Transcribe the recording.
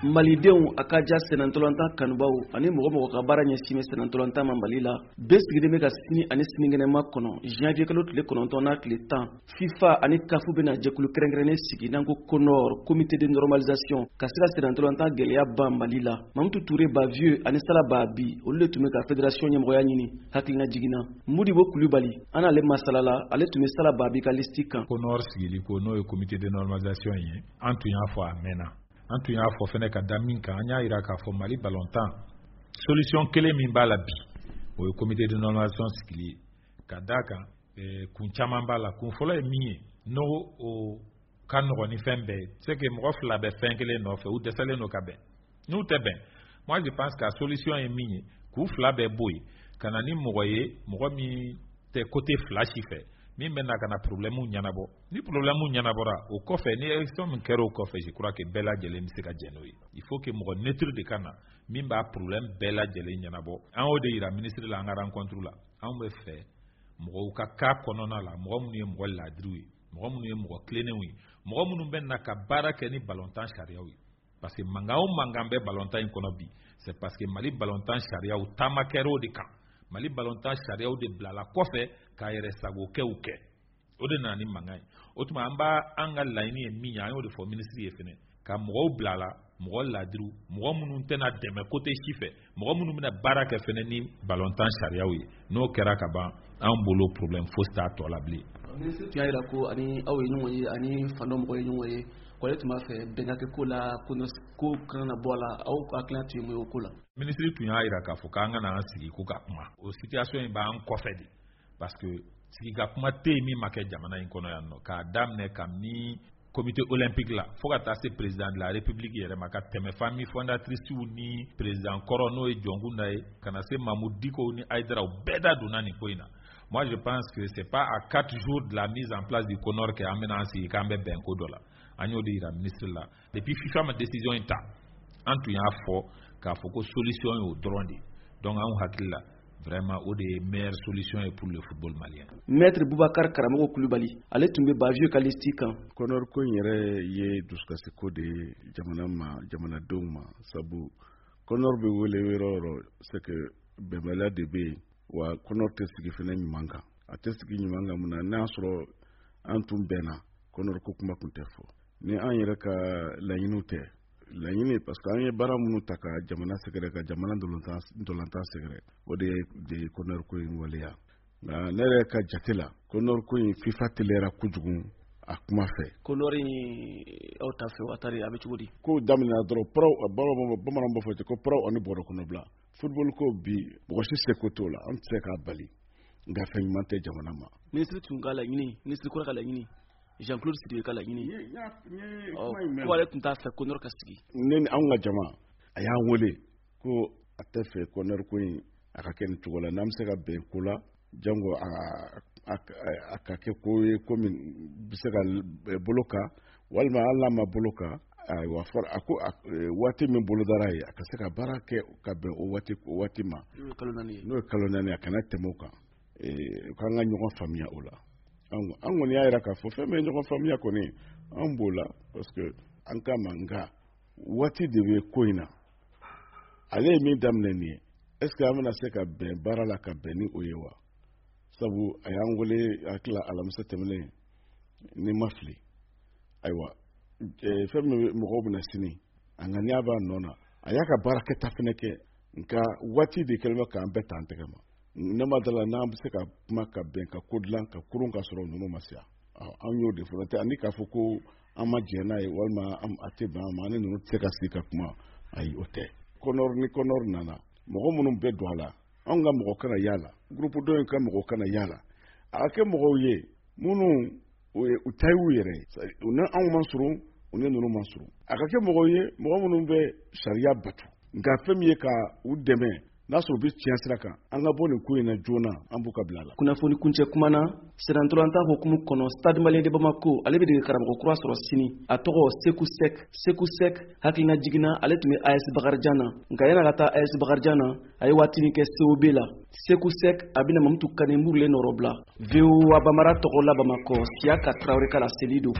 Malidenw, a ka ja sennantolatan kanubaw ani mɔgɔ mɔgɔ ka baara ɲɛsin bɛ sennantolatan ma Mali la, bɛɛ sigilen bɛ ka sini ani sinikɛnɛma kɔnɔ. Janvier kalo tile 9 n'a tile 10, FIFA ani CAF bɛna jɛkulu kɛrɛnkɛrɛnnen sigi n'an ko CONOR, comité de normalisation, ka se ka sennantolatan gɛlɛya ban Mali la. Mamutu Ture Bavieux ani Sala Babi, olu de tun bɛ ka fédération ɲɛmɔgɔya ɲini. Hakilina jiginna, Modibo Kulubali, an n'ale masalala, ale tun bɛ Sala Babi ka liste kan. CONOR sigili ko, n'o ye comité de normalisation ye, an tun y'a fɔ a mɛnna. An tun y'a fɔ fɛnɛ ka da min kan, an y'a yira k'a fɔ Mali balontan, solution kelen min b'a la bi, o ye comité de normalisation sigili ye. Ka d'a kan, kun caman b'a la. Kun fɔlɔ ye min ye, n'o o ka nɔgɔn ni fɛn bɛɛ ye, c'est que mɔgɔ fila bɛ fɛn kelen nɔfɛ, u dɛsɛlen don ka bɛn. N'u tɛ bɛn, moi je pense que solution ye min ye, k'u fila bɛɛ bɔ yen, ka na ni mɔgɔ ye, mɔgɔ min tɛ côté fila si fɛ, min bɛ na ka na problème ɲɛnabɔ. Ni problème ɲɛnabɔra, o kɔfɛ, ni élection min kɛra o kɔfɛ, je crois que bɛɛ lajɛlen bɛ se ka jɛn n'o ye. Il faut que mɔgɔ neutre de ka na, min b'a problème bɛɛ lajɛlen ɲɛnabɔ. An y'o de yira ministre la an ka rencontre la. Anw bɛ fɛ mɔgɔw ka k'a kɔnɔna la, mɔgɔ minnu ye mɔgɔ laadiriw ye, mɔgɔ minnu ye mɔgɔ tilennenw ye, mɔgɔ minnu bɛ na ka baara kɛ ni balontan sariyaw ye. Parce que mankan o mankan bɛ balontan in kɔnɔ bi, c'est parce que Mali balontan sariyaw taama kɛra o de kan. Mali balontan sariyaw de bilala kɔfɛ k'a yɛrɛ sagokɛw kɛ, o de nana ni mankan ye. O tuma, an b'a an ka laɲini ye min ye, an y'o de fɔ minisiri ye fɛnɛ, ka mɔgɔw bila la, mɔgɔ laadiriw, mɔgɔ minnu tɛna dɛmɛ côté si fɛ, mɔgɔ minnu bɛna baara kɛ fɛnɛ ni balontan sariyaw ye. N'o kɛra ka ban, an bolo problème fosi t'a tɔ la bilen. Minisiri tun y'a jira ko ani aw ye ɲɔgɔn ye, ani fan dɔ mɔgɔ ye ɲɔgɔn ye, ko ale tun b'a fɛ bɛn ka kɛ ko la, ko kana na bɔ a la. Aw ka hakilina tun ye mun ye o ko la? Minisiri tun y'a jira k'a fɔ k'an ka na an sigi ko ka kuma. O situation in b'an kɔfɛ de, parce que sigi ka kuma tɛ yen min ma kɛ jamana in kɔnɔ yan nɔ, k'a daminɛ kabini comité olympique la fo ka taa se président de la République yɛrɛ ma, ka tɛmɛ famille fondatrice ni président kɔrɔ, n'o ye Jɔnkunda ye, ka na se Mamudu Diko ni Hayidara, bɛɛ da donna nin ko in na. Moi je pense que c'est pas à 4 jours de la mise en place du CONOR que an bɛna an sigi k'an bɛ bɛn ko dɔ la. An y'o de yira ministre la. Depuis FIFA ma décision in ta, an tun y'a fɔ k'a fɔ ko solution y'o dɔrɔn de. Donc anw hakili la, vraiment, o de ye meilleure solution ye pour le football malien. Maître Boubacar Karamɔgɔ Kulubali, ale tun bɛ Bavieux ka liste kan. CONOR ko in yɛrɛ ye dusukasi ko de ye jamana ma, jamanadenw ma, sabu CONOR bɛ wele yɔrɔ o yɔrɔ, c'est que bɛnbaliya de bɛ yen. Wa CONOR tɛ sigi fɛnɛ ɲuman kan, a tɛ sigi ɲuman kan. Mun na? N'a sɔrɔ an tun bɛnna, CONOR ko kuma tun tɛ fɔ. Ni an yɛrɛ ka laɲiniw tɛ laɲini, parce que an ye baara minnu ta ka jamana sɛgɛrɛ, ka jamana ndolantan sɛgɛrɛ, o de ye CONOR ko in waleya. Nka ne yɛrɛ ka jate la, CONOR ko in, FIFA teliyara kojugu a kuma fɛ. CONOR in, aw ta fɛ, wa tari a bɛ cogo di? Ko daminɛna dɔrɔn, pɔrɔw, bamananw b'a fɔ ten ko pɔrɔw ani bɔrɔ kɔnɔ bila. Football ko bi, mɔgɔ si seko t'o la, an tɛ se k'a bali, nka fɛn ɲuman tɛ jamana ma. Minisiri tun ka laɲini, minisiri kura ka laɲini, Jean-Claude Sidibe ka laɲini, ko ale tun t'a fɛ CONOR ka sigi. Ne ni anw ka jama, a y'an wele ko a tɛ fɛ CONOR ko in a ka kɛ nin cogo la. N'an bɛ se ka bɛn ko la, jango a ka kɛ ko ye, ko min bɛ se ka bolo kan, walima hali n'a ma bolo kan, ayiwa, fɔra a ko waati min bolodara ye, a ka se ka baara kɛ ka bɛn o waati ma. N'o ye kalo 4 ye. N'o ye kalo 4 ye, a kana tɛmɛ o kan, k'an ka ɲɔgɔn faamuya o la. An kɔni y'a jira k'a fɔ fɛn min ye ɲɔgɔn faamuya kɔni, an b'o la, parce que an k'a ma. Nka waati de bɛ ko in na. Ale ye min daminɛ nin ye, est ce que an bɛna se ka bɛn baara la ka bɛn ni o ye wa? Sabu a y'an wele hakili la alamisa tɛmɛnen, ni ma fili. Ayiwa, fɛn min mɔgɔw bɛna sini, a ŋaniya b'a nɔ na, a y'a ka baarakɛta fɛnɛ kɛ, nka waati de kɛlen bɛ k'an bɛɛ ta an tɛgɛ ma. Ne ma dala n'an bɛ se ka kuma ka bɛn ka ko dilan ka kurun ka sɔrɔ ninnu ma se yan. An y'o de fɔ tɛ, ani k'a fɔ ko an ma jɛn n'a ye, walima a tɛ bɛn an ma, an ni ninnu tɛ se ka sigi ka kuma, ayi, o tɛ. CONOR ni CONOR nana, mɔgɔ minnu bɛ don a la, anw ka mɔgɔ kana y'a la, groupe dɔ in ka mɔgɔ kana y'a la, a ka kɛ mɔgɔw ye minnu u ta y'u yɛrɛ ye, u ni anw ma surun, u ni ninnu ma surun. A ka kɛ mɔgɔw ye, mɔgɔ minnu bɛ sariya batu. Nka fɛn min ye ka u dɛmɛ, n'a sɔrɔ u bɛ tiɲɛ sira kan, an ka bɔ nin ko in na joona, an b'u ka bila la. Kunnafoni kuncɛ kuma na, sennantolatan hukumu kɔnɔ, Stade Malien de Bamako, ale bɛ dege karamɔgɔ kura sɔrɔ sini. A tɔgɔ Seku Sek. Seku Sek, hakilina jiginna, ale tun bɛ AS Bakarijan na, nka yan'a ka taa AS Bakarijan na, a ye waatinin kɛ COB la. Seku Sek, a bɛna Mamutu Kane Murule nɔrɔ bila. VOA Bamara tɔgɔ la Bamakɔ, Siyaka Tarawele ka laseli don.